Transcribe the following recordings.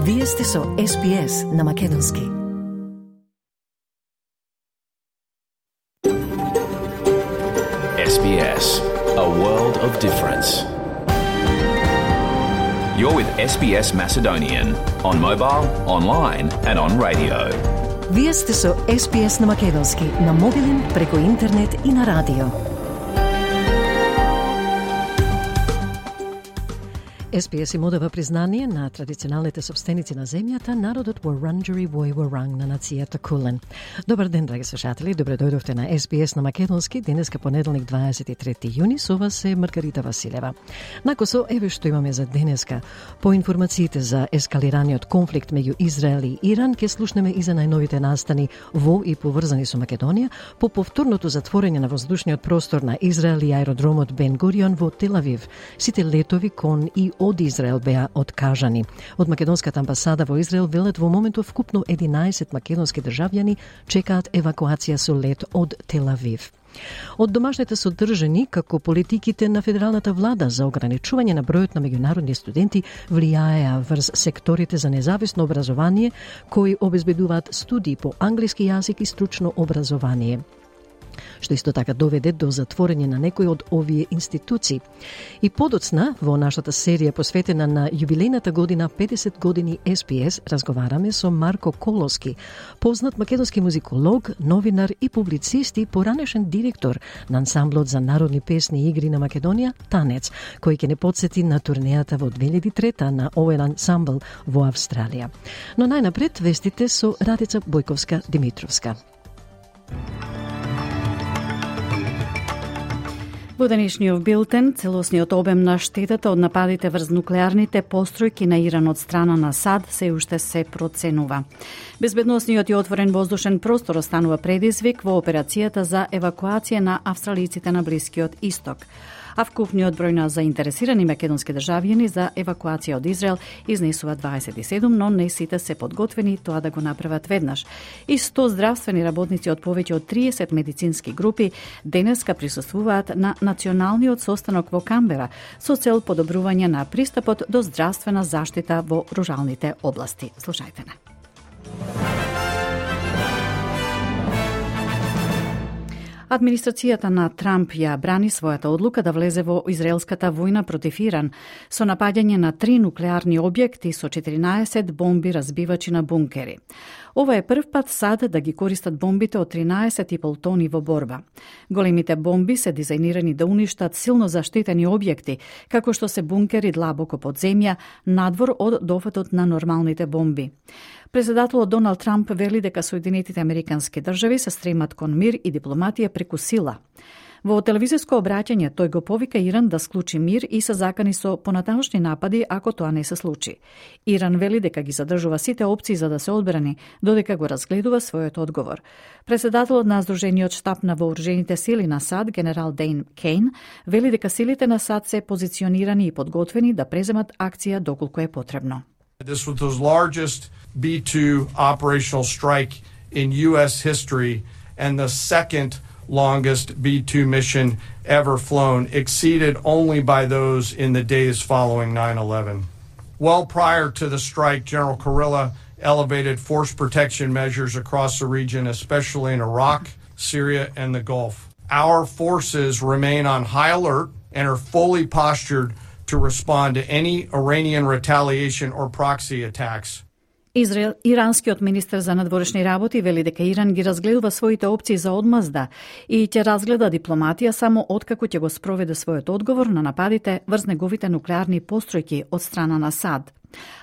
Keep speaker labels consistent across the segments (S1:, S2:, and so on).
S1: Вие сте со SPS на македонски.
S2: SBS, a world of difference. You're with SBS Macedonian on mobile, online and on radio.
S1: Вие сте со SPS на македонски, на мобилен, преку интернет и на радио. SPS им одава признание на традиционалните собственици на земјата, народот Вуранџери вој Вуранг на нацијата Кулен. Добар ден, драги слушатели, добре дојдовте на SPS на македонски, денеска понеделник 23 јуни, со вас е Маргарита Василева. Накосо, еве што имаме за денеска. По информациите за ескалираниот конфликт меѓу Израел и Иран, ке слушнеме и за најновите настани во и поврзани со Македонија, по повторното затворење на воздушниот простор на Израел и аеродромот Бен Гурион во Тел Авив. Сите летови кон и од Израел беа откажани. Од македонската амбасада во Израел велат во моментов вкупно 11 македонски државјани чекаат евакуација со лет од Тел Авив. Од домашните содржани, како политиките на федералната влада за ограничување на бројот на меѓународни студенти влијаеа врз секторите за независно образование, кои обезбедуваат студии по англиски јазик и стручно образование, што исто така доведе до затворење на некои од овие институции. И подоцна, во нашата серија посветена на јубилејната година 50 години SPS, разговараме со Марко Колоски, познат македонски музиколог, новинар и публицист и поранешен директор на ансамблот за народни песни и игри на Македонија, Танец, кој ќе не потсети на турнејата во 2003 на овој ансамбл во Австралија. Но најнапред вестите со Радица Бојковска-Димитровска.
S3: Во денешниот билтен, целосниот обем на штетата од нападите врз нуклеарните постројки на Иран од страна на САД се уште се проценува. Безбедносниот и отворен воздушен простор останува предизвик во операцијата за евакуација на австралиците на Блискиот Исток. А вкупниот број на заинтересирани македонски државјани за евакуација од Израел изнесува 27, но не сите се подготвени тоа да го направат веднаш. И 100 здравствени работници од повеќе од 30 медицински групи денеска присуствуваат на националниот состанок во Камбера со цел подобрување на пристапот до здравствена заштита во руралните области. Слушајте на. Администрацијата на Трамп ја брани својата одлука да влезе во израелската војна против Иран со напаѓање на 3 нуклеарни објекти со 14 бомби разбивачи на бункери. Ова е прв пат САД да ги користат бомбите од 13,5 тони во борба. Големите бомби се дизајнирани да уништат силно заштитени објекти, како што се бункери длабоко под земја, надвор од дофатот на нормалните бомби. Председателот Доналд Трамп вели дека Соединетите Американски држави се стремат кон мир и дипломатија преку сила. Во телевизиско обраќање тој го повика Иран да склучи мир и се закани со понатамошни напади ако тоа не се случи. Иран вели дека ги задржува сите опции за да се одбрани, додека го разгледува својот одговор. Председателот на Сдружениот штаб на вооружените сили на САД, генерал Дейн Кейн, вели дека силите на САД се позиционирани и подготвени да преземат акција доколку е потребно.
S4: This was the largest B-2 operational strike in U.S. history and the second longest B-2 mission ever flown, exceeded only by those in the days following 9/11. Well prior to the strike, General Kurilla elevated force protection measures across the region, especially in Iraq, Syria, and the Gulf. Our forces remain on high alert and are fully postured to respond to any Iranian retaliation or proxy attacks.
S3: Иранскиот министер за надворешни работи вели дека Иран ги разгледува своите опции за одмазда и ќе разгледа дипломатија само откако ќе го спроведе својот одговор на нападите врз неговите нуклеарни постројки од страна на САД.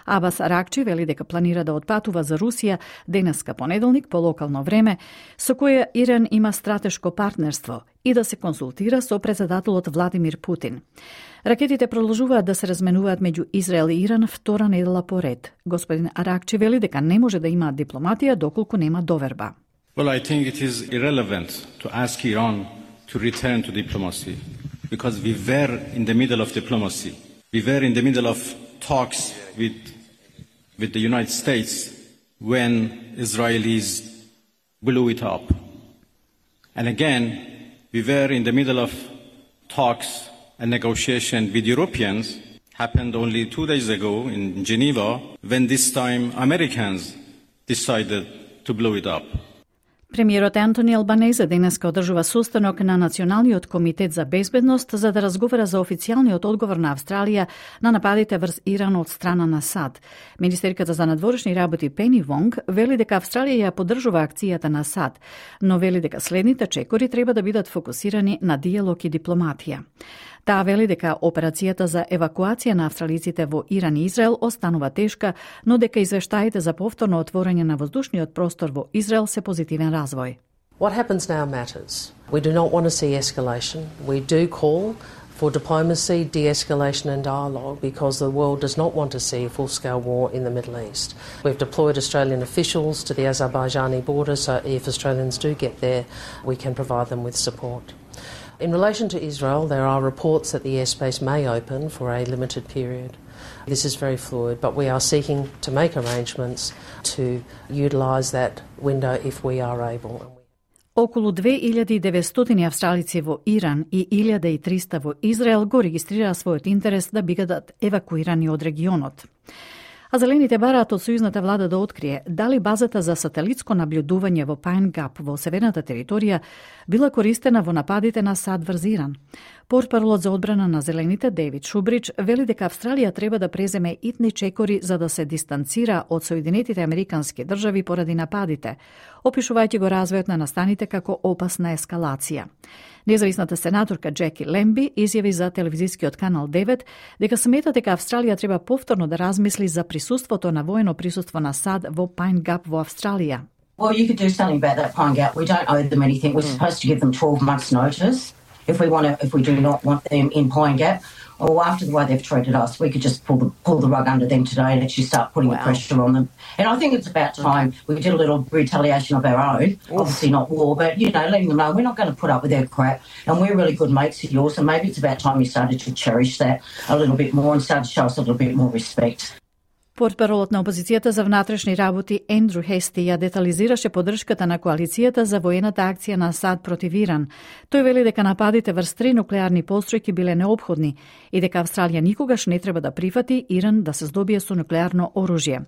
S3: Абас Аракчи вели дека планира да отпатува за Русија денеска понеделник по локално време, со која Иран има стратешко партнерство и да се консултира со председателот Владимир Путин. Ракетите продолжуваат да се разменуваат меѓу Израел и Иран втора недела поред. Господин Аракчи вели дека не може да има дипломатија доколку нема доверба.
S5: Well, I think it is irrelevant to ask Iran to return to diplomacy because we were in the middle of diplomacy. We were in the middle of talks with the United States when Israelis blew it up. And again, we were in the middle of talks and negotiation with Europeans happened only 2 days ago in Geneva, when this time Americans decided to blow it up.
S3: Премиерот Антони Албанезе денеска одржува состанок на Националниот комитет за безбедност за да разговара за официјалниот одговор на Австралија на нападите врз Иран од страна на САД. Министерката за надворешни работи Пени Вонг вели дека Австралија ја поддржува акцијата на САД, но вели дека следните чекори треба да бидат фокусирани на диалог и дипломатија. Таа вели дека операцијата за евакуација на австралиците во Иран и Израел останува тешка, но дека извештаите за повторно отворање на воздушниот простор во Израел се позитивен развој.
S6: What happens now matters. We do not want to see escalation. We do call for diplomacy, de-escalation and dialogue because the world does not want to see a full-scale war in the Middle East. We've deployed Australian officials to the Azerbaijani border so if Australians do get there, we can provide them with support. In relation to Israel, there are reports that the airspace may open for a limited period. This is very fluid, but we are seeking to make arrangements to utilise that window if we are able.
S3: Околу 2900 австралици во Иран и 1300 во Израел го регистрираа својот интерес да бидат евакуирани од регионот. А зелените бараат од сојузната влада да открие дали базата за сателитско наблюдување во Пайн Гап во северната територија била користена во нападите на САД врз Иран. Портпаролот за одбрана на зелените Дейвид Шубрич вели дека Австралија треба да преземе итни чекори за да се дистанцира од Соединетите Американски држави поради нападите, опишувајќи го развојот на настаните како опасна ескалација. Независната сенаторка Джеки Лемби изјави за телевизискиот канал 9 дека смета дека Австралија треба повторно да размисли за присуството на воено присуство на САД во Пайн Гап во Австралија.
S7: Well, you could do something about that Pine Gap. We don't owe them anything. We're supposed to give them 12 months' notice if we do not want them in Pine Gap. Or after the way they've treated us, we could just pull the rug under them today and actually start putting the pressure on them. And I think it's about time we did a little retaliation of our own. Obviously not war, but, letting them know we're not going to put up with their crap and we're really good mates of yours. And maybe it's about time you started to cherish that a little bit more and started to show us a little bit more respect.
S3: Портпаролот на опозицијата за внатрешни работи Ендрю Хести ја детализираше поддршката на коалицијата за воената акција на САД против Иран. Тој вели дека нападите врз 3 нуклеарни постројки биле неопходни и дека Австралија никогаш не треба да прифати Иран да се здобие со нуклеарно оружје.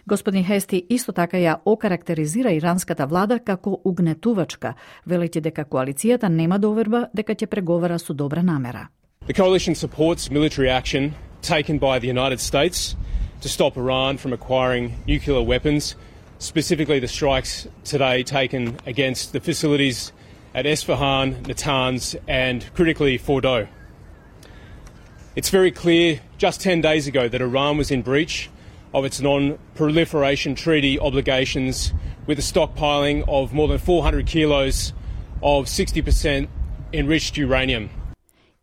S3: Господин Хести исто така ја окарактеризира иранската влада како угнетувачка, велејќи дека коалицијата нема доверба дека ќе преговара со добра намера.
S8: The coalition supports military action taken by the United States to stop Iran from acquiring nuclear weapons, specifically the strikes today taken against the facilities at Esfahan, Natanz and critically Fordow. It's very clear just 10 days ago that Iran was in breach of its non-proliferation treaty obligations with a stockpiling of more than 400 kilos of 60% enriched uranium.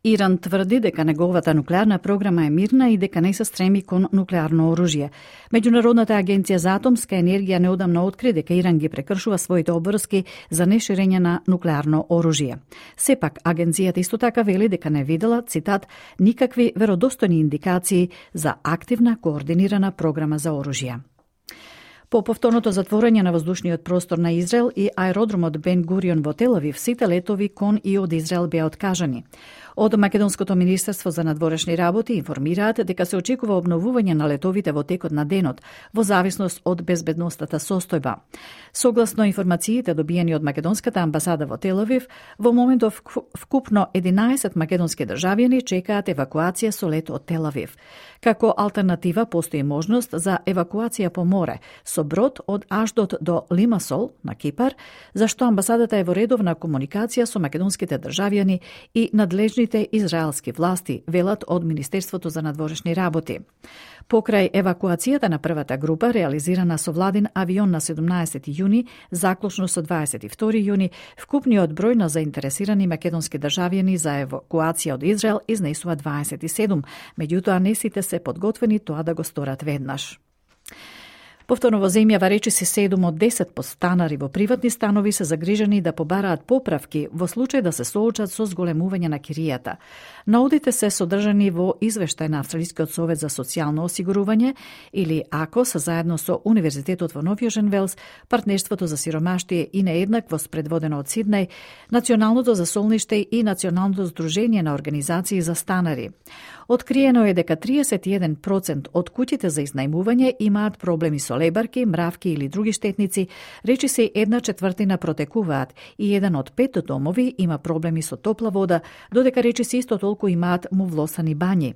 S3: Иран тврди дека неговата нуклеарна програма е мирна и дека не се стреми кон нуклеарно оружје. Меѓународната агенција за атомска енергија неодамна откри дека Иран ги прекршува своите обврски за неширење на нуклеарно оружје. Сепак, агенцијата исто така вели дека не видела, цитат, никакви веродостојни индикации за активна координирана програма за оружје. По повторното затворање на воздушниот простор на Израел и аеродромот Бен Гурион во Тел Авив, сите летови кон и од Израел беа откажани. Од Македонското министерство за надворешни работи информираат дека се очекува обновување на летовите во текот на денот, во зависност од безбедностната состојба. Согласно информациите добиени од Македонската амбасада во Тел Авив, во моментов вкупно 11 македонски државјани чекаат евакуација со лет од Тел Авив. Како алтернатива постои можност за евакуација по море со брод од Ашдот до Лимасол на Кипар, зашто амбасадата е во редовна комуникација со македонските државјани и надлежните израелски власти, велат од Министерството за надворешни работи. Покрај евакуацијата на првата група, реализирана со владин авион на 17 јуни, заклучно со 22 јуни, вкупниот број на заинтересирани македонски државјани за евакуација од Израел изнесува 27, меѓутоа не сите се подготвени тоа да го сторат веднаш. Повторно во земјава речиси 7 од 10 подстанари во приватни станови се загрижени да побараат поправки во случај да се соочат со зголемување на киријата. Наудите се содржани во извештај на Австралискиот совет за социјално осигурување или АКОС заедно со Универзитетот во Нов Јужен Велс, Партнерството за сиромаштие и нееднаквост предводено од Сиднеј, Националното за солниште и Националното здружение на организации за станари. Откриено е дека 31% од куќите за изнајмување имаат проблеми со лебарки, мравки или други штетници, речиси 1/4 протекуваат и 1 од 5 домови има проблеми со топла вода, додека речиси исто толку имаат мувлосани бањи.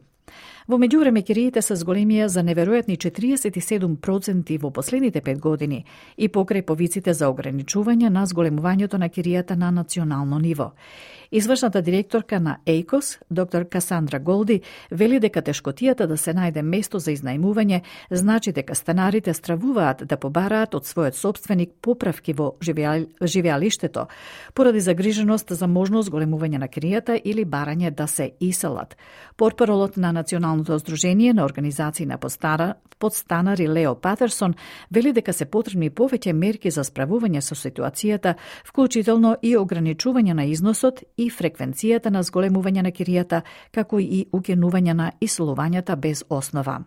S3: Во меѓувреме кириите се зголемија за неверојатни 47% во последните 5 години и покрај повиците за ограничување на зголемувањето на киријата на национално ниво. Извршната директорка на ЕЙКОС, доктор Касандра Голди, вели дека тешкотијата да се најде место за изнајмување значи дека станарите стравуваат да побараат од својот сопственик поправки во живеалиштето, поради загриженост за можност зголемување на киријата или барање да се иселат. Портпаролот на Националното здружение на организации на подстанари Лео Патерсон вели дека се потребни повеќе мерки за справување со ситуацијата, вклучително и ограничување на износот и фреквенцијата на зголемување на киријата, како и укинување на иселувањата без основа.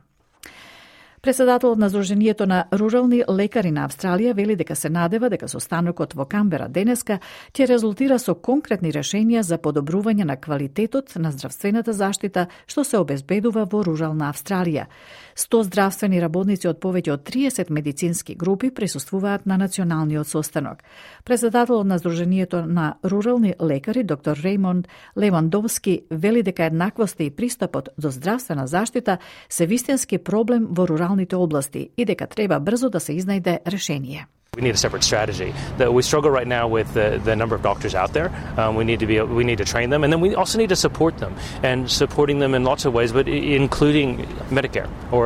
S3: Председателот на Сдруженијето на рурални лекари на Австралија вели дека се надева дека состанокот во Камбера денеска ќе резултира со конкретни решенија за подобрување на квалитетот на здравствената заштита што се обезбедува во рурална Австралија. 100 здравствени работници од повеќе од 30 медицински групи присуствуваат на националниот состанок. Председателот на Сдруженијето на рурални лекари доктор Реймонд Левандовски вели дека еднаквоста и пристапот до здравствена заштита се вистински проблем во руралните области и дека треба брзо да се изнајде решение.
S9: We need a separate strategy. We struggle right now with the number of doctors out there. We need to train them, and then we also need to support them, and supporting them in lots of ways, but including Medicare or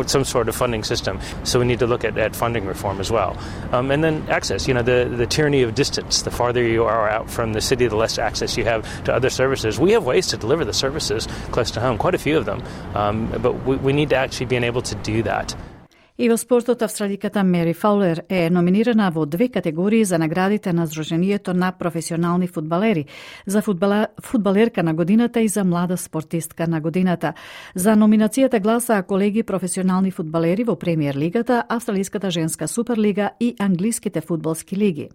S9: some sort of funding system. So we need to look at funding reform as well, and then access. You know, the tyranny of distance. The farther you are out from the city, the less access you have to other services. We have ways to deliver the services close to home, quite a few of them, but we need to actually be able to do that.
S3: И во спортот австраликата Мери Фаулер е номинирана во 2 категории за наградите на Сдруженијето на професионални фудбалери, за фудбалерка на годината и за млада спортистка на годината. За номинацијата гласаа колеги професионални фудбалери во Премиер лигата, Австралиската женска суперлига и англиските фудбалски лиги.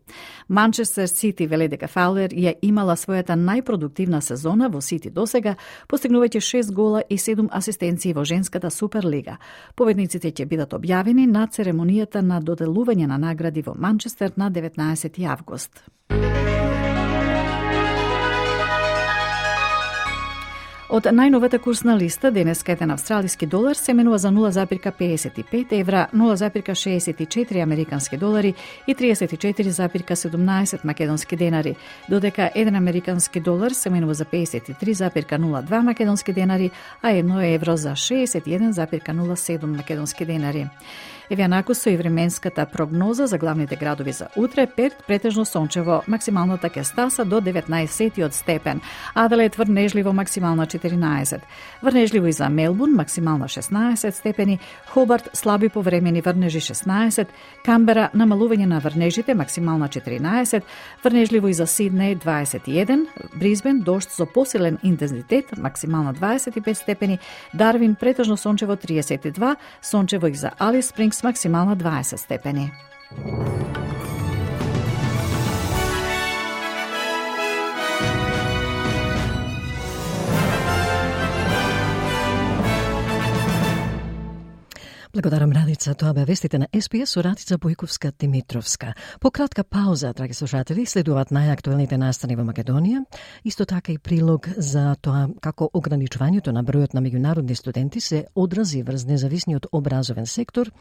S3: Манчестер Сити вели дека Фаулер ја имала својата најпродуктивна сезона во Сити досега, постигнувајќи 6 гола и 7 асистенции во женската суперлига. Победниците ќе бидат објавени на церемонијата на доделување на награди во Манчестер на 19 август. Од најновата курсна листа, денеска еден австралиски долар се менува за 0,55 евра, 0,64 американски долари и 34,17 македонски денари, додека еден американски долар се менува за 53,02 македонски денари, а 1 евро за 61,07 македонски денари. Евјанако со и временската прогноза за главните градови за утре: Перт претежно сончево, максималната ќе стаса до 19 степен, Аделаид врнежливо, максимална 14, врнежливо и за Мелбурн, максимална 16 степени, Хобарт слаби повремени врнежи 16, Камбера намалување на врнежите, максимална 14, врнежливо и за Сиднеј 21, Брисбен дожд со посилен интензитет, максимална 25 степени, Дарвин претежно сончево 32, сончево и за Алис Спрингс, максимална 20 степени.
S1: Благодарам, Радица. Тоа бе вестите на СПС со Радица Бојковска-Димитровска. По кратка пауза, драги слушатели, следуваат најактуелните настани во Македонија, исто така и прилог за тоа како ограничувањето на бројот на меѓународни студенти се одрази врз независниот образовен сектор,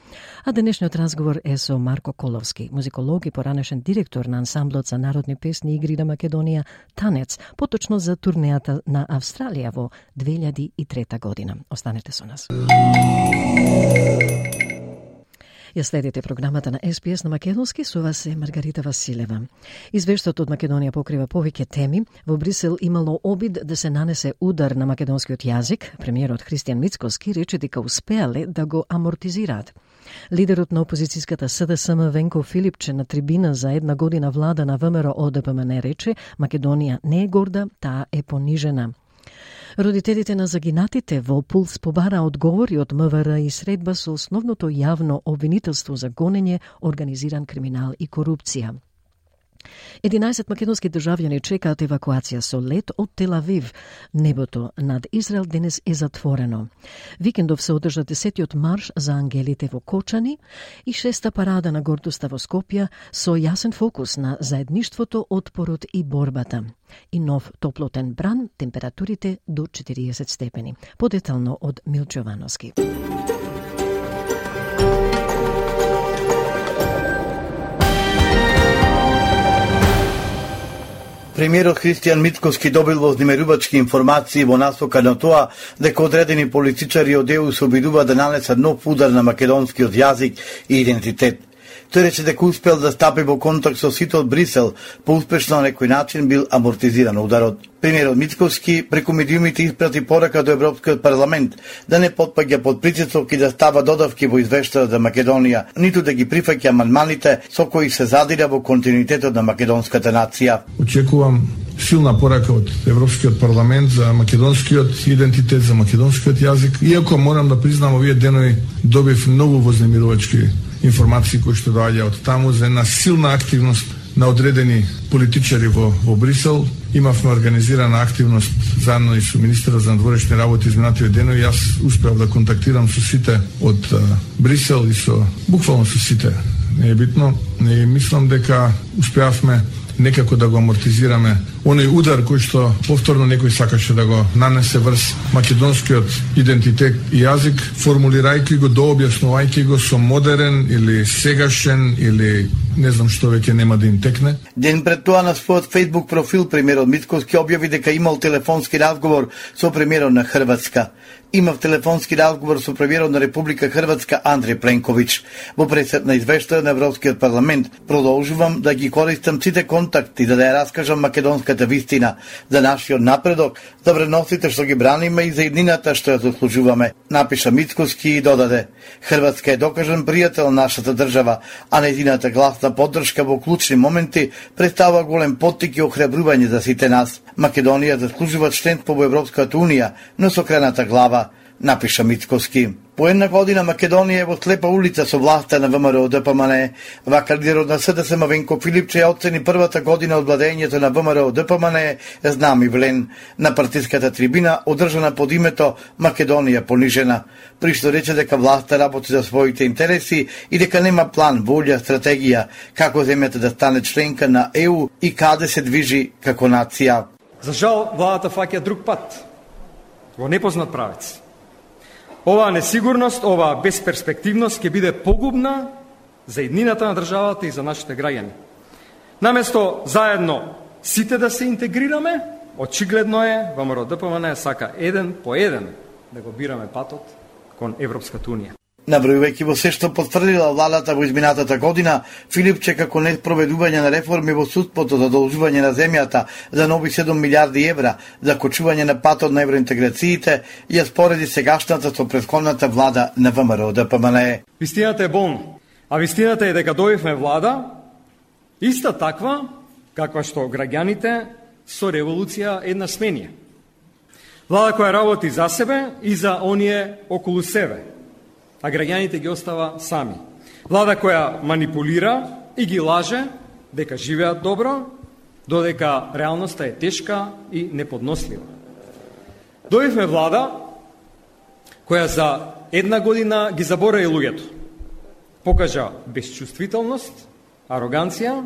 S1: а денешниот разговор е со Марко Коловски, музиколог и поранешен директор на ансамблот за народни песни и игри на Македонија Танец, поточно за турнејата на Австралија во 2003 година. Останете со нас. Ја следите програмата на СПС на македонски, со вас е Маргарита Василева. Извештајот од Македонија покрива повеќе теми. Во Брисел имало обид да се нанесе удар на македонскиот јазик. Премиерот Христијан Мицкоски рече дека успеале да го амортизираат. Лидерот на опозицијската СДСМ Венко Филипче на трибина за една година влада на ВМРО ДПМН рече Македонија не е горда, таа е понижена. Родителите на загинатите во Пулс побара одговори од МВР и средба со основното јавно обвинителство за гонење, организиран криминал и корупција. 11 македонски државјани чекаат евакуација со лет од Тел Авив. Небото над Израел денес е затворено. Викендов се одржа 10-тиот марш за ангелите во Кочани и 6-та парада на гордоста во Скопје со јасен фокус на заедништвото, отпорот и борбата. И нов топлотен бран, температурите до 40 степени. Подетално од Милчо Јовановски.
S10: Премиерот Христијан Мицкоски добил вознемерувачки информации во насока на тоа дека одредени политичари од ЕУ се обидуваат да нанесат нов удар на македонскиот јазик и идентитет. Тој рече дека успел да стапи во контакт со сите од Брисел, поуспешно на некој начин бил амортизиран ударот. Премиерот Мицкоски преку медиумите испрати порака до Европскиот парламент да не потпаѓа под притисок и да става додавки во извештајот за Македонија, ниту да ги прифаќа амандманите со кои се задира во континуитетот на македонската нација.
S11: Очекувам силна порака од Европскиот парламент за македонскиот идентитет, за македонскиот јазик, иако морам да признам овие денови добив многу вознемирувачки информации кои што доаѓа од таму за една силна активност на одредени политичари во Брисел. Имавме организирана активност заедно и со министерот за надворешни работи изминативе денови. Јас успеав да контактирам со сите од Брисел и буквално со сите. Не е битно. Не мислам дека успеавме некако да го амортизираме оној удар кој што повторно некој сакаше да го нанесе врз македонскиот идентитет и јазик, формулирајќи го, дообјаснувајќи го со модерен или сегашен или не знам што веќе нема да им текне.
S10: Ден пред тоа на својот Facebook профил премиерот Мицкоски објави дека имал телефонски разговор со премиерот на Хрватска. Имав телефонски разговор со премиерот на Република Хрватска Андреј Пленковиќ. Во пресед на извештај на Европскиот парламент продолжувам да ги користам сите контакти за да ја раскажам македонската вистина за нашиот напредок, за вредностите што ги браниме и за иднината што ја заслужуваме, напиша Мицкоски и додаде: Хрватска е докажан пријател на нашата држава, а нејзината гласна поддршка во клучни моменти представува голем поттик и охрабрување за сите нас. Македонија заслужува членство во Европската унија, но со крената глава, напиша Мицкоски. По една година Македонија е во слепа улица со власта на ВМРО ДПМН. Вака лидерот на СДСМ Венко Филипче ја оцени првата година од владењето на ВМРО ДПМН знамивлен на партиската трибина одржана под името Македонија понижена, при што рече дека власта работи за своите интереси и дека нема план, волја, стратегија како земјата да стане членка на ЕУ и каде се движи како нација.
S12: За жал, владата фаќа друг пат, во непознат правец. Оваа несигурност, оваа безперспективност ќе биде погубна за иднината на државата и за нашите граѓани. Наместо заедно сите да се интегрираме, очигледно е ВМРО ДПМН сака еден по еден да го бираме патот кон Европската унија.
S10: Набројувајќи во се што потврдила владата во изминатата година, Филипче како неспроведување на реформи во судството, задолжување на земјата за нови 7 милиарди евра, закочување на патот на евроинтеграциите, ја спореди сегашната со претходната влада на ВМРО ДПМН.
S12: Вистината е болна, а вистината е дека дојдовме влада иста таква каква што граѓаните со револуција една сменија. Влада која работи за себе и за оние околу себе, а граѓаните ги остава сами. Влада која манипулира и ги лаже дека живеат добро, додека реалноста е тешка и неподнослива. Дојдовме влада која за една година ги заборави луѓето. Покажа безчувствителност, ароганција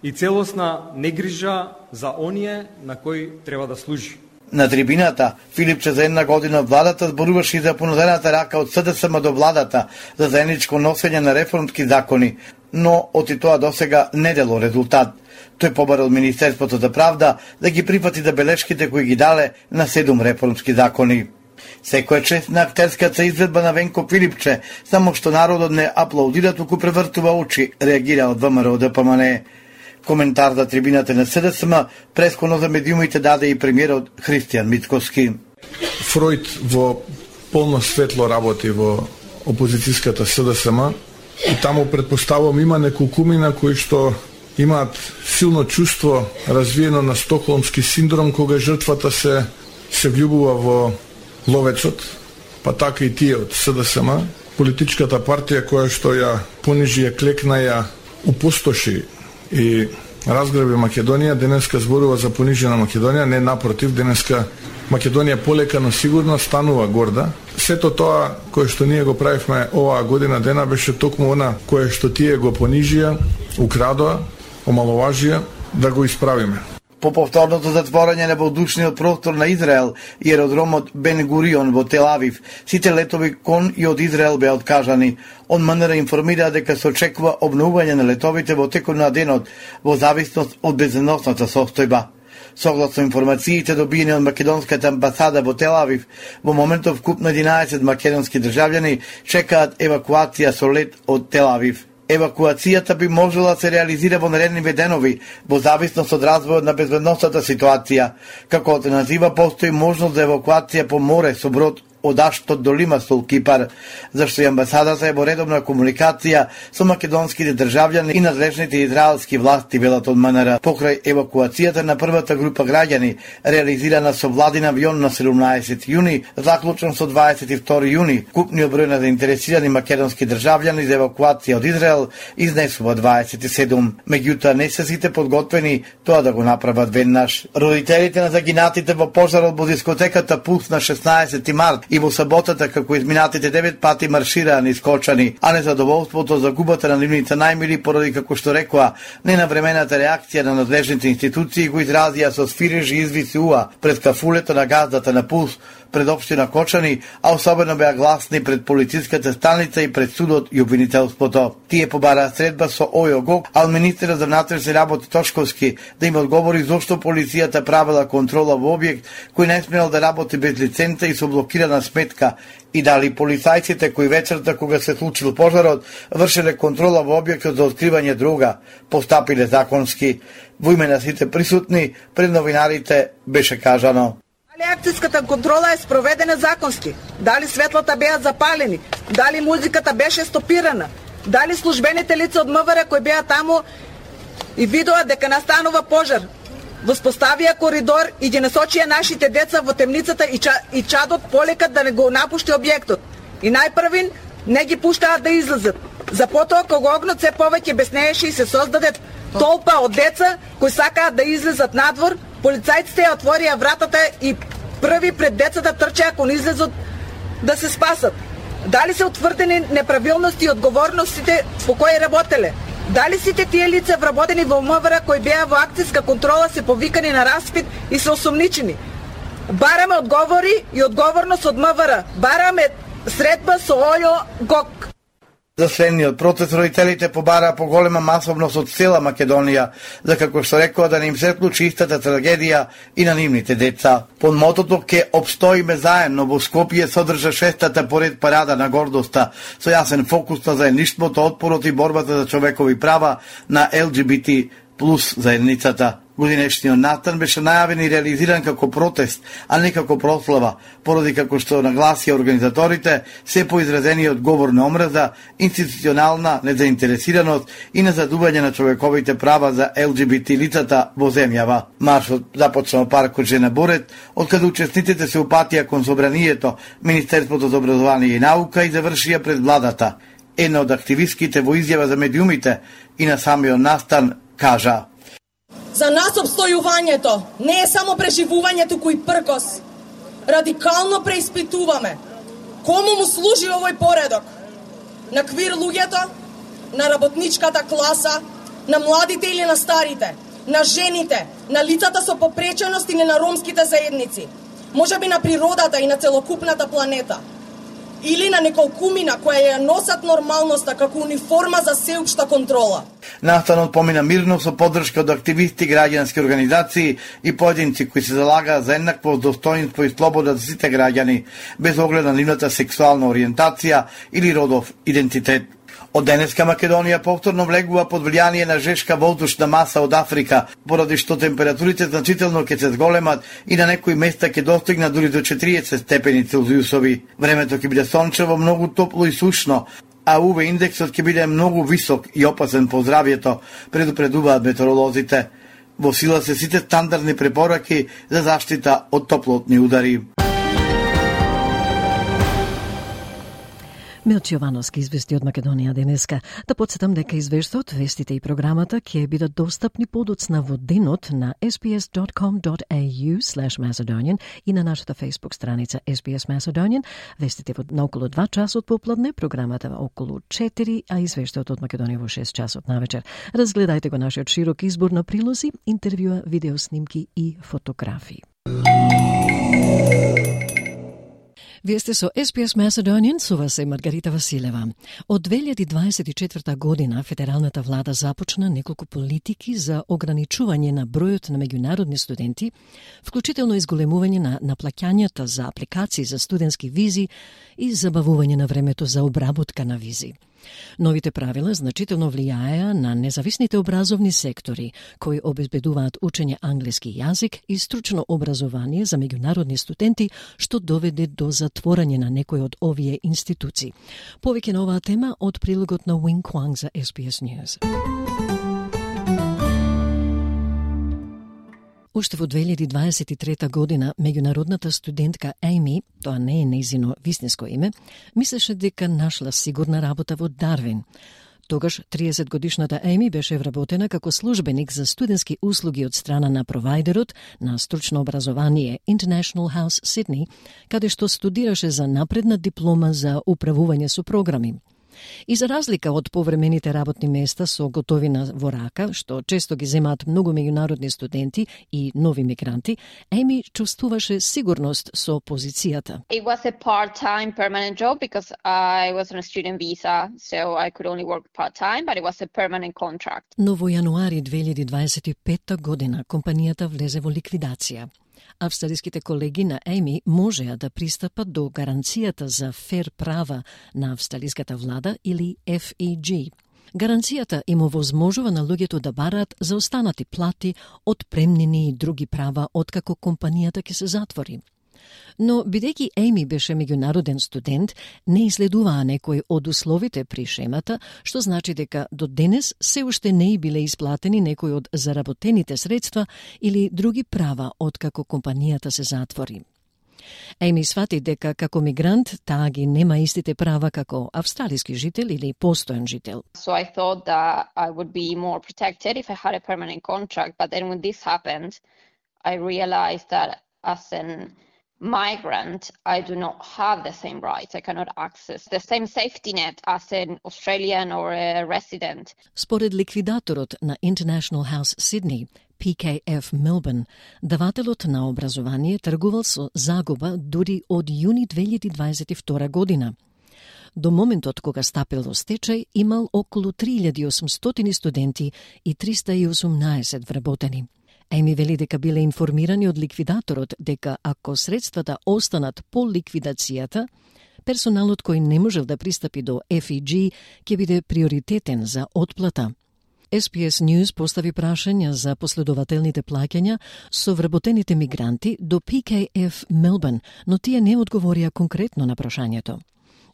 S12: и целосна негрижа за оние на кои треба да служи.
S10: На трибината, Филипче за една година владата зборуваше и за понудената рака од СДСМ до владата за заедничко носење на реформски закони, но од и тоа досега не дело резултат. Тој побарал Министерството за правда да ги прифати забелешките кои ги дале на 7 реформски закони. Секоја чест на актерската изведба на Венко Филипче, само што народот не аплаудира, туку превртува очи, реагира од ВМРО ДПМН. Коментар за трибината на СДСМ пресконо за медиумите даде и премиерот Христијан Мицкоски.
S11: Фројд во полно светло работи во опозицијската СДСМ и таму предпоставувам има неколкумина кои што имаат силно чувство развиено на стокхолмски синдром кога жртвата се влюбува во ловецот, па така и тие од СДСМ, политичката партија која што ја понижи, ја клекна, ја упустоши и разграби Македонија, денеска зборува за понижена Македонија, не напротив, денеска Македонија полека но сигурно станува горда. Сето тоа кое што ние го правивме оваа година дена беше токму она кое што тие го понижија, украдоа, омаловажија, да го исправиме.
S10: По повторното затворање на воздушниот простор на Израел и аеродромот Бен Гурион во Тел Авив, сите летови кон и од Израел беа откажани. МНР информира дека се очекува обновување на летовите во текот на денот во зависност од безбедносната состојба. Согласно информациите добиени од македонската амбасада во Тел Авив, во моментов вкупно 11 македонски државјани чекаат евакуација со лет од Тел Авив. Евакуацијата би можела да се реализира во наредни денови, во зависност од развојот на безбедносната ситуација. Како алтернатива постои можност за евакуација по море со брод од Аштот до Лимасол, Кипар, зашто и амбасадата е во редовна комуникација со македонските државјани и надлежните израелски власти, велат од МНР. Покрај евакуацијата на првата група граѓани, реализирана со владин авион на 17 јуни, заклучен со 22 јуни, купниот број на заинтересирани македонски државјани за евакуација од Израел изнесува 27. Меѓутоа не се сите подготвени тоа да го направат веднаш. Родителите на загинатите во пожарот во дискотеката Пулс на 16 март и во саботата како изминатите 9 пати маршираа низ Кочани, а незадоволството за губата на нивните најмили поради, како што рекоа, ненавремената реакција на надлежните институции го изразија со свирежи извици уа пред кафулето на газдата на Пулс пред општина Кочани, а особено беа гласни пред полициската станица и пред судот и обвинителството. Тие побараа средба со ОЈО, а министерот за внатрешни работи Тошковски да им одговори зошто полицијата правила контрола во објект кој не смел да работи без лиценца и со блокирана сметка, и дали полицајците кои вечерта кога се случил пожарот вршеле контрола во објектот за откривање дрога постапиле законски. Во име на сите присутни пред новинарите беше кажано:
S13: дали акцијската контрола е спроведена законски? Дали светлата беа запалени? Дали музиката беше стопирана? Дали службените лица од МВР кои беа таму и видоа дека настанува пожар, воспоставија коридор и ги насочија нашите деца во темницата и чадот полека да не го напушти објектот. И најпрвин не ги пуштаа да излезат. За потоа кога огнот се повеќе беснееше и се создаде толпа од деца кои сакаат да излезат надвор, полицајците ја отворија вратата и први пред децата трчеа кон излезот да се спасат. Дали се утврдени неправилности и одговорностите по кои работеле? Дали сите тие лица вработени во МВР кои беа во акцијска контрола се повикани на распит и се осомничени? Бараме одговори и одговорност од МВР. Бараме средба со ОЈО.
S10: За следниот процес родителите побараа поголема масовност од цела Македонија, за како што рекоа да не им се случи истата трагедија и на нивните деца. Под мотото "Ке обстоиме заедно" во Скопје содржа 6-та поред парада на гордоста, со јасен фокус на заедништвото, отпорот и борбата за човекови права на ЛГБТ плюс заедницата. Годинешниот настан беше најавен и реализиран како протест, а не како прослава, поради како што нагласија организаторите се поизразениот говор на омраза, институционална незаинтересираност и незадување на човековите права за ЛГБТ лицата во земјава. Маршот започна во паркот Жена Борет, откаде учесниците се упатија кон собранието, Министерството за образование и наука и завршија пред владата. Една од активистките во изјава за медиумите и на самиот настан кажа:
S14: за нас обстојувањето не е само преживување, туку и пркос. Радикално преиспитуваме кому му служи овој поредок. На квир луѓето, на работничката класа, на младите или на старите, на жените, на лицата со попреченост или на ромските заедници, можеби на природата и на целокупната планета, или на неколкумина која ја носат нормалноста како униформа за сеопшта контрола.
S10: Настанот помина мирно со поддршка од активисти, граѓански организации и поединци кои се залагаат за еднакво достоинство и слобода за сите граѓани, без оглед на нивната сексуална ориентација или родов идентитет. Од денеска Македонија повторно влегува под влијание на жешка воздушна маса од Африка, поради што температурите значително ќе се зголемат и на некои места ќе достигнат дури до 40 степени Целзиусови. Времето ќе биде сончево, многу топло и сушно, а УВ индексот ќе биде многу висок и опасен по здравјето, предупредуваат метеоролозите. Во сила се сите стандардни препораки за заштита од топлотни удари.
S1: Милчо Јовановски извести од Македонија денеска. Да подсетам дека извештаот, вестите и програмата ќе бидат достапни подоцна во денот на sbs.com.au/Macedonian и на нашата Facebook страница SBS Macedonian. Вестите на околу 2 часот попладне, програмата околу 4, а извештаот од Македонија во 6 часот навечер. Разгледајте го нашиот широк избор на прилози, интервјуа, видеоснимки и фотографии. Вие сте со SBS Macedonian, со вас е Маргарита Василева. Од 2024 година федералната влада започна неколку политики за ограничување на бројот на меѓународни студенти, вклучително изголемување на наплаќањата за апликации за студентски визи и забавување на времето за обработка на визи. Новите правила значително влијаеа на независните образовни сектори, кои обезбедуваат учење англиски јазик и стручно образование за меѓународни студенти, што доведе до затворање на некои од овие институции. Повеќе на оваа тема од прилогот на Wing Kwang за SBS News. Уште во 2023 година, меѓународната студентка Ейми, тоа не е нејзино вистинско име, мислеше дека нашла сигурна работа во Дарвин. Тогаш 30-годишната Ейми беше вработена како службеник за студентски услуги од страна на провајдерот на стручно образование International House Sydney, каде што студираше за напредна диплома за управување со програми. И за разлика од повремените работни места со готовина во рака, што често ги земаат многу меѓународни студенти и нови мигранти, Ейми чувствуваше сигурност со позицијата.
S15: It was a part-time permanent job because I was on a student visa, so I could only work part-time, but it was a permanent contract. Но
S1: во јануари 2025 година компанијата влезе во ликвидација. Австралиските колеги на Ейми можеа да пристапат до гаранцијата за фер права на австралиската влада или FEG. Гаранцијата им овозможува на луѓето да бараат заостанати плати, отпремнини и други права откако компанијата ќе се затвори. Но, бидејќи Ейми беше меѓународен студент, не изследуваа некои од условите при шемата, што значи дека до денес се уште не биле исплатени некои од заработените средства или други права откако компанијата се затвори. Ейми свати дека како мигрант таа ги нема истите права како австралиски жител или постојан жител.
S15: So I thought that I would be more protected if I had a permanent contract, but then when this happened, I realized that as an migrant, I do not have the same rights. I cannot access the same safety net as an Australian or a resident.
S1: Според ликвидаторот на International House Sydney, PKF Melbourne, давателот на образование тргувал со загуба дури од јуни 2022 година. До моментот кога стапил во стечај, имал околу 3800 студенти и 318 вработени. Ейми вели дека биле информирани од ликвидаторот дека ако средствата останат по ликвидацијата, персоналот кој не можел да пристапи до FEG ќе биде приоритетен за отплата. SBS News постави прашања за последователните плаќања со вработените мигранти до PKF Melbourne, но тие не одговорија конкретно на прашањето.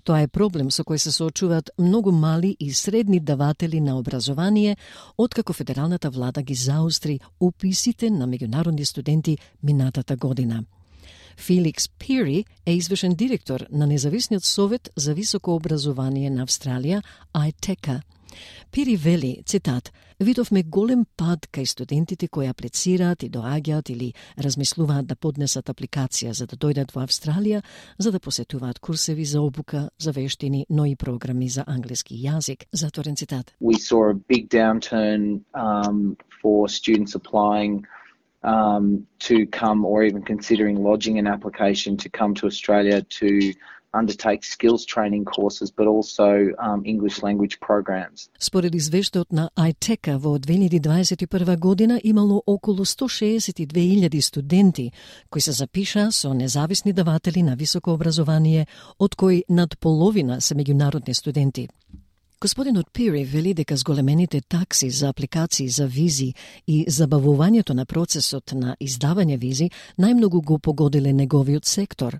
S1: Тоа е проблем со кој се соочуваат многу мали и средни даватели на образование, откако федералната влада ги заостри уписите на меѓународни студенти минатата година. Феликс Пири е извршен директор на Независниот совет за високо образование на Австралија, ITECA. Пири вели, цитат, видовме голем пад кај студентите кои аплицираат и доаѓаат или размислуваат да поднесат апликација за да дојдат во Австралија, за да посетуваат курсеви за обука, за вештини, но и програми за англиски јазик. Затворен цитат.
S16: We saw a big downturn for students applying to come or even considering lodging an application to come to Australia to undertake skills training courses, but also English language programs.
S1: Според извештајот на iTeka во 2021 година имало околу 162.000 студенти кои се запишаа со независни даватели на високо образование, од кои над половина се меѓународни студенти. Господинот Пири вели дека зголемените такси за апликации за визи и забавувањето на процесот на издавање визи најмногу го погодиле неговиот сектор.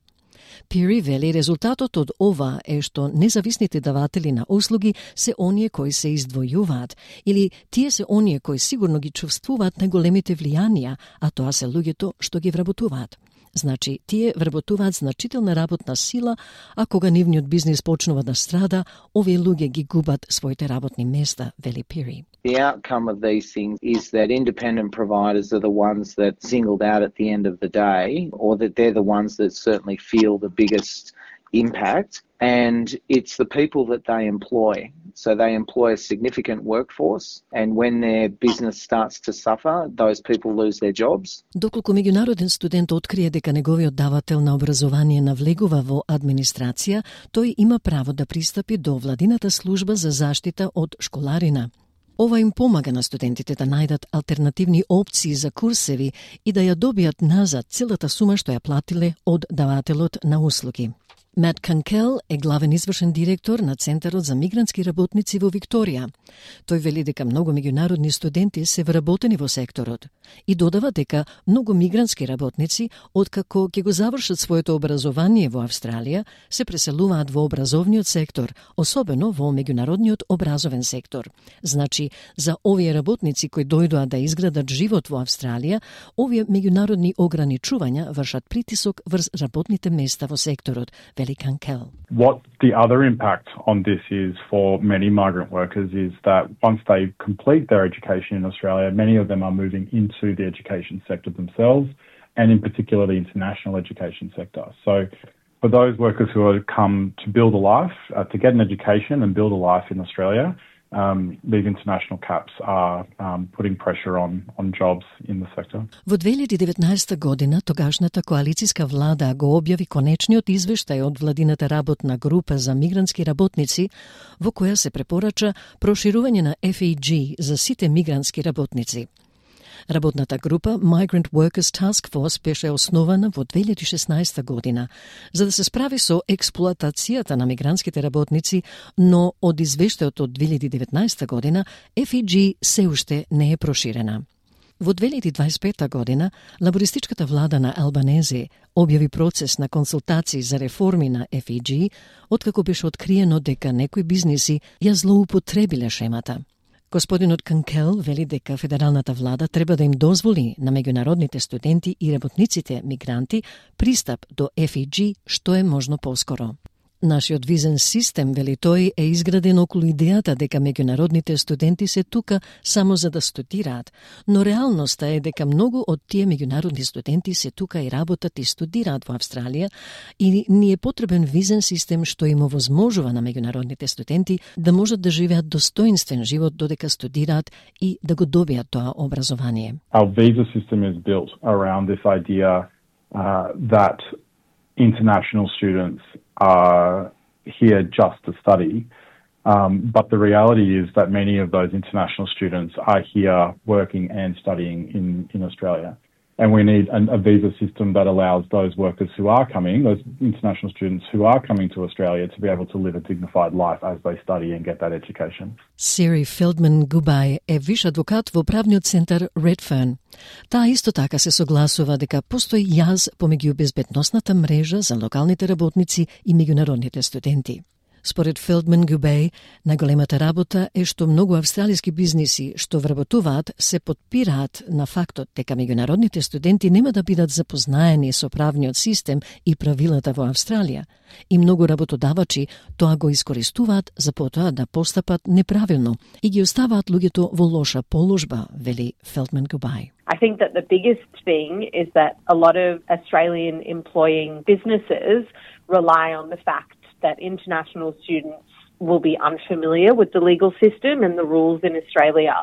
S1: Пири вели резултатот од ова е што независните даватели на услуги се оние кои се издвојуваат, или тие се оние кои сигурно ги чувствуваат најголемите влијанија, а тоа се луѓето што ги вработуваат. Значи, тие вработуваат значителна работна сила, а кога нивниот бизнис почнува да страда, овие луѓе ги губат своите работни места, вели Пири.
S16: The outcome of these things is that independent providers are the ones that singled out at the end of the day, or that they're the ones that certainly feel the biggest impact, and it's the people that they employ. So they employ a significant workforce, and when their business starts to suffer, those people lose their jobs.
S1: Доколку меѓународен студент открие дека неговиот давател на образование навлегува во администрација, тој има право да пристапи до владината служба за заштита од школарина. Ова им помага на студентите да најдат алтернативни опции за курсеви и да ја добијат назад целата сума што ја платиле од давателот на услуги. Мат Канкел е главен извршен директор на Центарот за мигрантски работници во Викторија. Тој вели дека многу меѓународни студенти се вработени во секторот и додава дека многу мигрантски работници, откако ќе го завршат своето образование во Австралија, се преселуваат во образовниот сектор, особено во меѓународниот образовен сектор. Значи, за овие работници кои дојдоа да изградат живот во Австралија, овие меѓународни ограничувања вршат притисок врз работните места во секторот.
S17: What the other impact on this is for many migrant workers is that once they complete their education in Australia, many of them are moving into the education sector themselves, and in particular the international education sector. So for those workers who have come to build a life, to get an education and build a life in Australia, these international caps are putting pressure on jobs in the sector.
S1: Во 2019 година тогашната коалициска влада го објави конечниот извештај од владината работна група за мигрантски работници, во која се препорача проширување на FEG за сите мигрантски работници. Работната група Migrant Workers Task Force беше основана во 2016 година за да се справи со експлоатацијата на мигрантските работници, но од извештајот од 2019 година FEG се уште не е проширена. Во 2025 година лабористичката влада на Албанезе објави процес на консултации за реформи на FEG, откако беше откриено дека некои бизниси ја злоупотребиле шемата. Господинот Канкел вели дека федералната влада треба да им дозволи на меѓународните студенти и работниците мигранти пристап до FEG што е можно поскоро. Нашиот визен систем, вели тој, е изграден околу идејата дека меѓународните студенти се тука само за да студираат, но реалноста е дека многу од тие меѓународни студенти се тука и работат и студираат во Австралија и ни е потребен визен систем што им овозможува на меѓународните студенти да можат да живеат достоинствен живот додека студираат и да го добијат тоа образование.
S17: Our visa system is built around this idea that international students are here just to study, but the reality is that many of those international students are here working and studying in Australia. And we need a visa system that allows those workers who are coming, those international students who are coming to Australia, to be able to live a dignified life as they study and get that education.
S1: Siri Feldman-Gubay е виш адвокат во правниот центар Redfern. Таа исто така се согласува дека постои јаз помеѓу безбедносната мрежа за локалните работници и меѓународните студенти. Според Feldman-Gubay, најголемата работа е што многу австралиски бизниси што вработуваат се подпираат на фактот дека меѓународните студенти нема да бидат запознаени со правниот систем и правилата во Австралија. И многу работодавачи тоа го искористуваат за потоа да постапат неправилно и ги оставаат луѓето во лоша положба, вели Feldman-Gubay.
S18: I think that the biggest thing is that a lot of Australian employing businesses rely on the fact that international students will be unfamiliar with the legal system and the rules in Australia.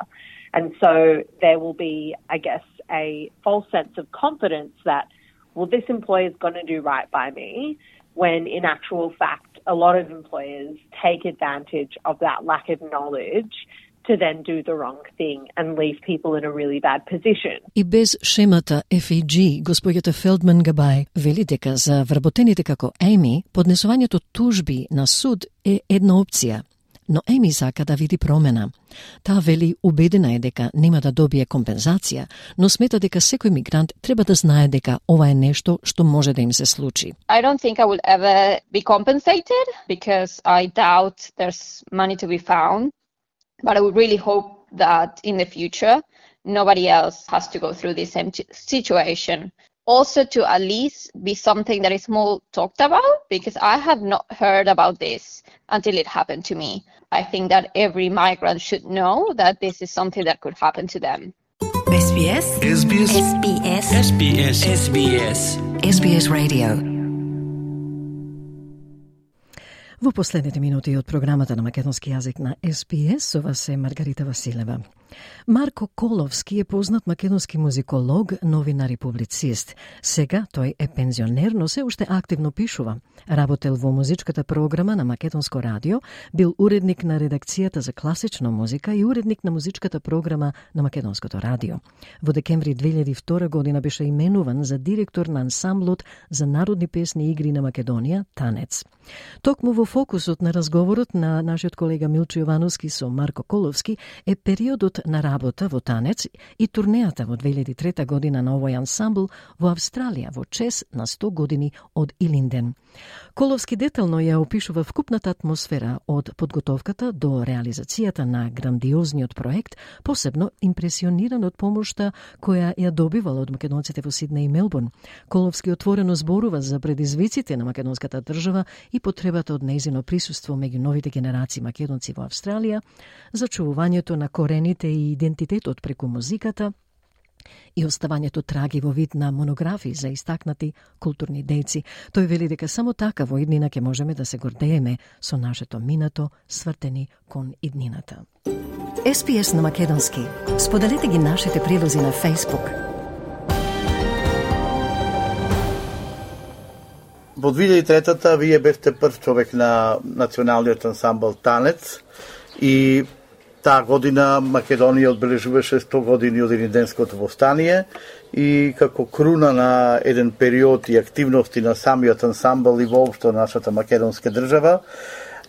S18: And so there will be, I guess, a false sense of confidence that, well, this employer is going to do right by me when in actual fact a lot of employers take advantage of that lack of knowledge to then do the wrong thing and leave people in a really bad position.
S1: И без шемата FEG, господјата Фелдман Габај вели дека за вработените како Еми, поднесувањето тужби на суд е една опција. Но Еми сака да види промена. Таа вели убедена е дека нема да добие компензација, но смета дека секој мигрант треба да знае дека ова е нешто што може да им се случи.
S15: I don't think I will ever be compensated because I doubt there's money to be found. But I would really hope that in the future, nobody else has to go through this same situation. Also to at least be something that is more talked about, because I have not heard about this until it happened to me. I think that every migrant should know that this is something that could happen to them.
S19: SBS. SBS. SBS. SBS. SBS. SBS Radio.
S1: Во последните минути од програмата на македонски јазик на SBS, со вас е Маргарита Василева. Марко Коловски е познат македонски музиколог, новинар и публицист. Сега тој е пензионер, но се уште активно пишува. Работел во музичката програма на Македонско радио, бил уредник на редакцијата за класична музика и уредник на музичката програма на Македонското радио. Во декември 2002 година беше именуван за директор на ансамблот за народни песни и игри на Македонија, Танец. Токму во фокусот на разговорот на нашиот колега Милчо Јовановски со Марко Коловски е периодот на работа во Танец и турнејата во 2003 година на овој ансамбл во Австралија во чест на 100 години од Илинден. Коловски детално ја опишува вкупната атмосфера од подготовката до реализацијата на грандиозниот проект, посебно импресиониран од помошта која ја добивала од македонците во Сиднеј и Мелбурн. Коловски отворено зборува за предизвиците на македонската држава и потребата од нејзино присуство меѓу новите генерации македонци во Австралија, зачувувањето на корените и идентитетот преку музиката и оставањето траги во вид на монографии за истакнати културни дејци. Тој вели дека само така во иднина ќе можеме да се гордееме со нашето минато свртени кон иднината.
S19: SBS на македонски. Споделете ги нашите прилози на Facebook.
S10: Во 2003-та вие бевте прв човек на националниот ансамбл Танец и таа година Македонија одбележуваше 100 години од Илинденското востание и како круна на еден период и активности на самиот ансамбл и воопшто нашата македонска држава,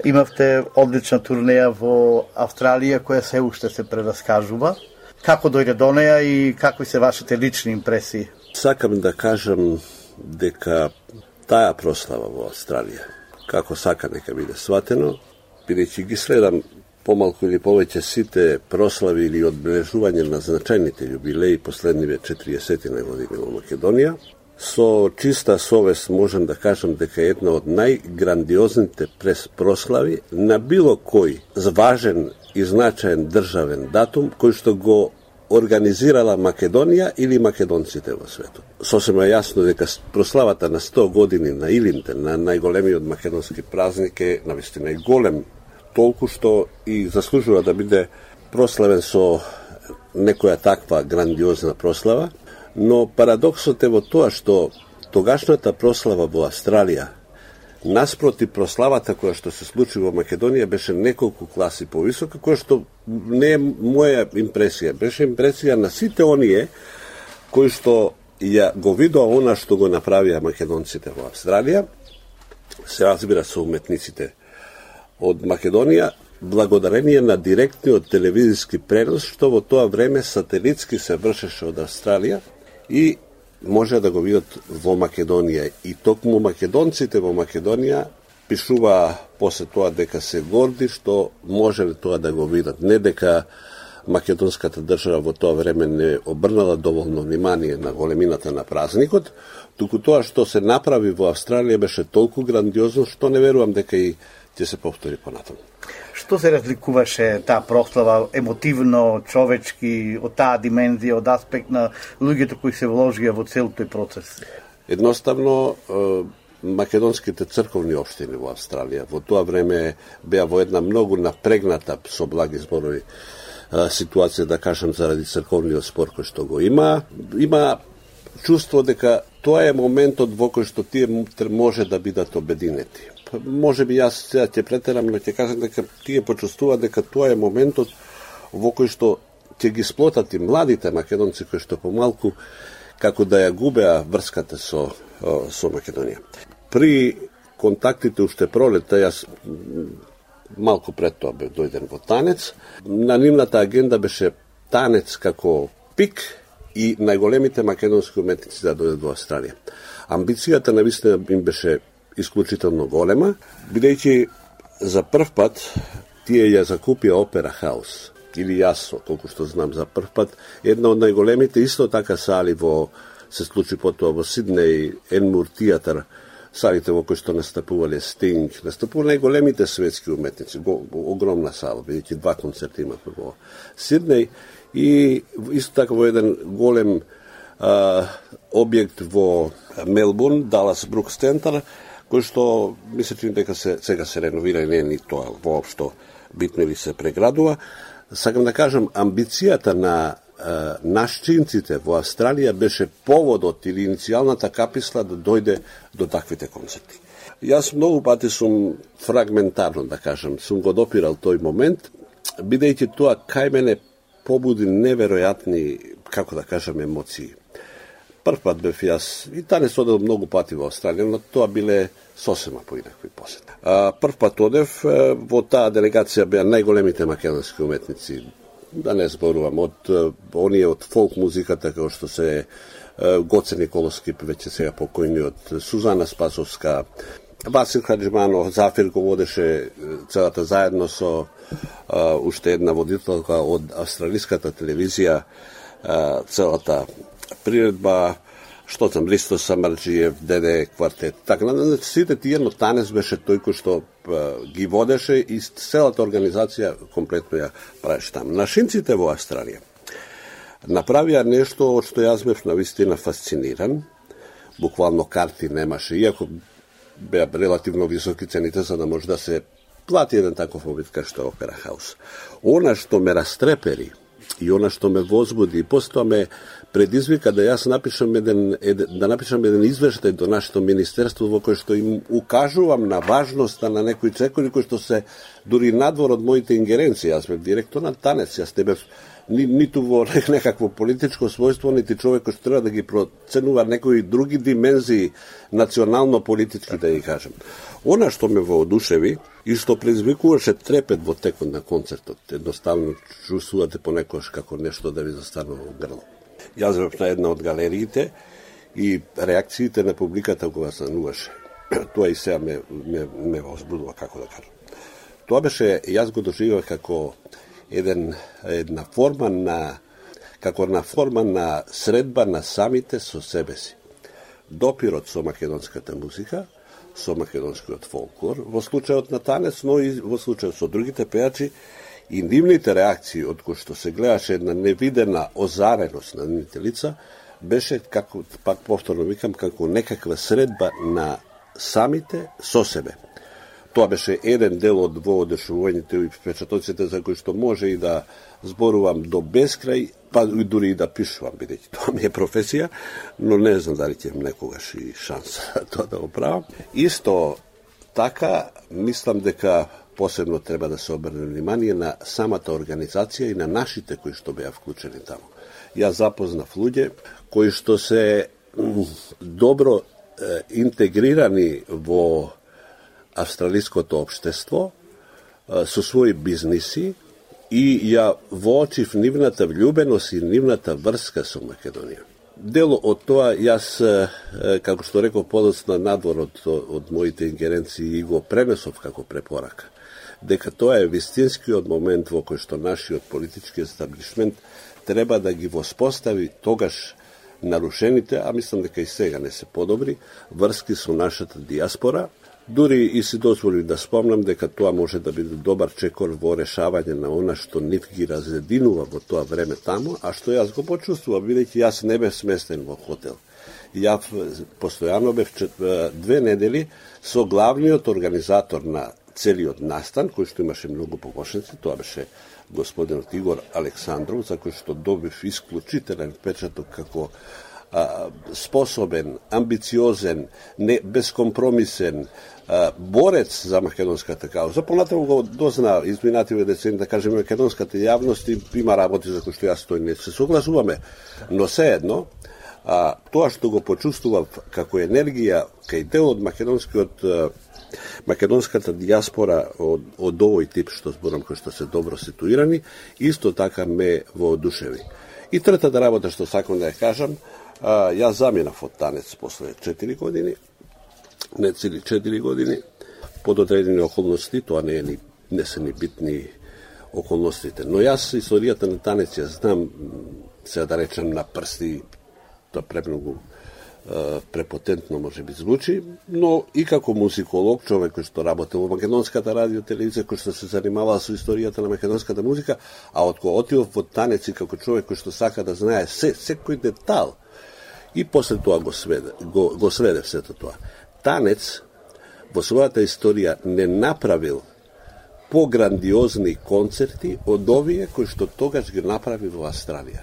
S10: имавте одлична турнеја во Австралија која се уште се прераскажува. Како дојде до неја и какви се вашите лични импресии?
S20: Сакам да кажам дека таа прослава во Австралија, како сака нека биде сватено, бидејќи ги следам помалку или повеќе сите прослави или одбележување на значајните јубилеи последниве 40 години во Македонија, со чиста совест можам да кажам дека е една од најграндиозните прослави на било кој важен и значаен државен датум кој што го организирала Македонија или македонците во светот. Сосема јасно дека прославата на 100 години на Илинден, на најголемиот македонски празник е навистина и голем, толку што и заслужува да биде прославен со некоја таква грандиозна прослава, но парадоксот е во тоа што тогашната прослава во Австралија наспроти прославата која што се случи во Македонија беше неколку класи повисока, која што не е моја импресија, беше импресија на сите оние кои што ја го видоа она што го направија македонците во Австралија, се разбира со уметниците од Македонија, благодарение на директниот телевизиски пренос што во тоа време сателитски се вршеше од Австралија и може да го видат во Македонија. И токму македонците во Македонија пишуваа после тоа дека се горди што можеле тоа да го видат. Не дека македонската држава во тоа време не обрнала доволно внимание на големината на празникот, туку тоа што се направи во Австралија беше толку грандиозно што не верувам дека и ќе се повтори понатаму.
S10: Што се разликуваше таа прослава емотивно, човечки, од таа димензија, од аспект на луѓето кои се вложија во цел тој процес?
S20: Едноставно, македонските црковни општини во Австралија во тоа време беа во една многу напрегната, со благи зборови, ситуација, да кажам, заради црковниот спор кој што го има. Има чувство дека тоа е моментот во кој што тие може да бидат обединети. Може би јас сега ќе претерам, но ќе кажам дека тие почувствуваат дека тоа е моментот во кој што ќе ги сплотат и младите македонци кои што помалку како да ја губеа врската со Македонија. При контактите уште пролетта, јас малку пред тоа бе дојден во Танец, на нивната агенда беше Танец како пик и најголемите македонски уметници да дојдат во Австралија. Амбицијата навистина им беше исклучително голема, бидејќи за прв пат тие ја закупија Опера Хаус, или јас, колку што знам за прв пат, една од најголемите исто така сали се случи потоа во Сиднеј, Енмур театар, салите во кои што настапувале Стинг, настапувале најголемите светски уметници, огромна сала, бидејќи 2 концерти имавме во Сиднеј, и исто така во еден голем објект во Мелбурн, Далас Брукс Центар, кој што мислам дека сега се реновира и не е ни тоа воопшто битно или се преградува. Сакам да кажам, амбицијата на нашчинците во Австралија беше поводот или иницијалната каписла да дојде до таквите концерти. Јас многу пати сум фрагментарно, да кажам, сум го допирал тој момент, бидејќи тоа кај мене побуди неверојатни, како да кажам, емоции. Прв пат бев јас, и Танец одел многу пати во Австралија, но тоа биле сосема поинакви посети. Прв пат одев, во таа делегација беа најголемите македонски уметници, да не зборувам, од оние од фолк музиката, како што се Гоце Николовски, веќе сега покојниот, Сузана Спасовска, Васил Хаджиманов, Зафир го водеше целата заедно со уште една водителка од австралиската телевизија, целата приредба, што там, Ристо Самарджиев, Деде квартет. Така, сите тие, но Танец беше тој кој што ги водеше и целата организација комплетно ја правеше таму. Нашинците во Австралија направија нешто од што јас бев навистина фасциниран. Буквално карти немаше, иако беа релативно високи цените за да може да се плати еден таков обид кај што Опера Хаус. Она што ме растрепери и она што ме возбуди и постоја ме предизвика да јас напишам еден извештај до нашето министерство во кој што им укажувам на важноста на некои чекори кои што се дури надвор од моите ингеренции. Јас бев директор на Танец, јас не бев ниту во некакво политичко својство, нити човек кој што треба да ги проценува некои други димензии национално-политички, да ги кажем. Она што ме воодушеви и што предизвикуваше трепет во текот на концертот, едноставно чувствувате понекогаш како нешто да ви застанува во грло. Јас бев на една од галериите и реакциите на публиката кога стануваше. Тоа и сега ме возбудува, како да кажам. Тоа беше, јас го доживеав како една форма на средба на самите со себе си. Допирот со македонската музика, со македонскиот фолклор, во случајот на Танец, но и во случајот со другите пејачи, и нивните реакции, од кои што се гледаше една невидена озареност на нивните лица, беше, како, пак повторно викам, како некаква средба на самите со себе. Тоа беше еден дел од воодушевувањето и впечатоците за кои што може и да зборувам до бескрај, па дури и да пишувам, бидејќи тоа ми е професија, но не знам дали ќе имам некогаш и шанса тоа да го правам. Исто така, мислам дека посебно треба да се обрне внимание на самата организација и на нашите кои што беа вклучени таму. Јас запознав луѓе кои што се добро интегрирани во австралиското општество со своји бизниси и ја воочив нивната влюбеност и нивната врска со Македонија. Дело од тоа јас, како што реков подоцна, надвор од моите ингеренции и го пренесов како препорака, дека тоа е вистинскиот момент во кој што нашиот политички естаблишмент треба да ги воспостави тогаш нарушените, а мислам дека и сега не се подобри, врски со нашата диаспора. Дури и си дозволив да спомнам дека тоа може да биде добар чекор во решавање на она што нив ги разединува во тоа време таму, а што јас го почувствував, бидејќи јас не бев сместен во хотел. Ја постојано бев 2 недели со главниот организатор на целиот настан, кој што имаше многу помошници, тоа беше господинот Игор Александров, за кој што добив исклучителен впечаток како способен, амбициозен, безкомпромисен борец за македонската кауза. Понатаму го дозна изминативе децени, да кажеме, македонската јавност има работи за кои што јас тој не се согласуваме, но сеедно тоа што го почувствував како енергија кај дел од македонската дијаспора од овој тип што зборам, кои што се добро ситуирани, исто така ме воодушеви. И третата работа што сакам да ја кажам, јас заминав од танец после 4 години, не цели 4 години, под одредени околности, тоа не се ни битни околностите. Но јас историјата на танец ја знам, се да речем на прсти, тоа премногу препотентно може би звучи, но и како музиколог, човек кој што работел во македонската радио телевизија, кој што се занимавал со историјата на македонската музика, а од кога отидов во танец и како човек кој што сака да знае секој детал, и после тоа го сведе сето тоа. Танец во својата историја не направил пограндиозни концерти од овие кои што тогаш ги направи во Австралија.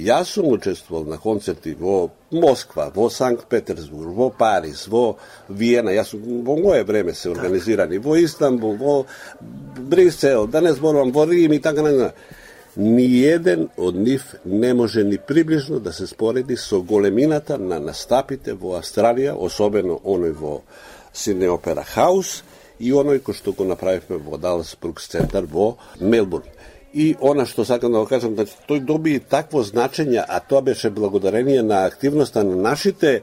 S20: Јас сум учествувал на концерти во Москва, во Санкт Петерсбург, во Париз, во Виена, јас во моје време се организирани, во Истанбул, во Брисел, да не зборувам, во Рим и така на. Ниеден од нив не може ни приближно да се спореди со големината на настапите во Австралија, особено оној во Сиднеј Опера Хаус и оној кој што го направивме во Далас Брукс центар во Мелбурн. И она што сакам да го кажам, значи тој доби такво значење, а тоа беше благодарение на активноста на нашите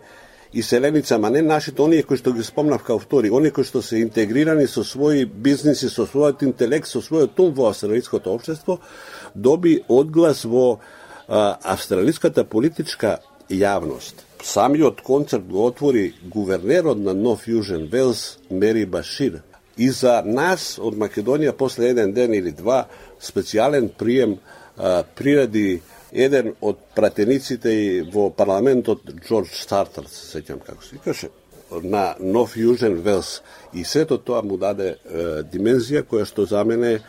S20: иселеници, ама не нашите, оние кои што ги спомнав као втори, оние кои што се интегрирани со своји бизниси, со својот интелект, со својот ум во австралиското општество, доби одглас во австралиската политичка јавност. Самиот концерт го отвори гувернерот на Нов Јужен Велс, Мери Башир. И за нас од Македонија после еден ден или два специјален прием приреди еден од пратениците во парламентот Џорџ Стартер, се сеќам како се викаше, на Нов Јужен Велс. И сето тоа му даде димензија која што за мене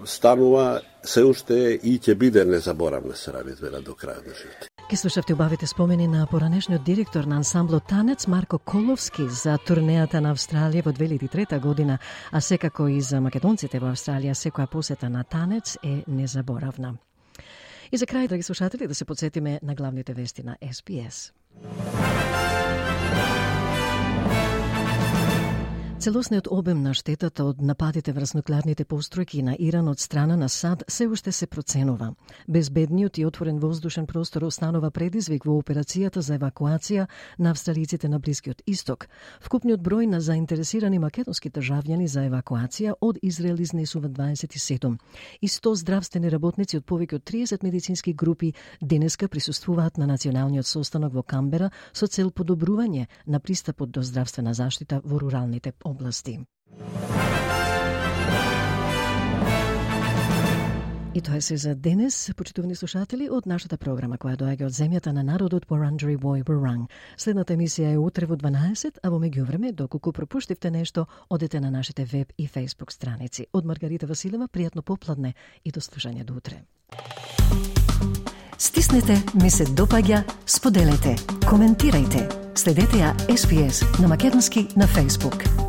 S20: станува се уште и ќе биде незаборавна, се вера до крајот на животот.
S1: Ке слушавте убавите спомени на поранешниот директор на ансамблот Танец Марко Коловски за турнејата на Австралија во 2003 година, а секако и за македонците во Австралија секоја посета на Танец е незаборавна. И за крај, драги слушатели, да се подсетиме на главните вести на SBS. Целосниот обем на штетата од нападите врз нуклеарните постројки на Иран од страна на САД се уште се проценува. Безбедниот и отворен воздушен простор останува предизвик во операцијата за евакуација на австралиците на Блискиот Исток. Вкупниот број на заинтересирани македонски државјани за евакуација од Израел изнесува 27. И 100 здравствени работници од повеќе од 30 медицински групи денеска присуствуваат на националниот состанок во Камбера со цел подобрување на пристапот до здравствена заштита во руралните области. И тоа е се за денес, почитувани слушатели, од нашата програма која доаѓа од земјата на народот Wurundjeri Woi Wurrung. Следната емисија е утре во 12, а во меѓувреме, доколку пропуштивте нешто, одете на нашите веб и фејсбук страници. Од Маргарита Василева, пријатно попладне и до слушање до утре.
S19: Стиснете, ми се допаѓа, споделете, коментирајте. Следете ја SBS на македонски на Facebook.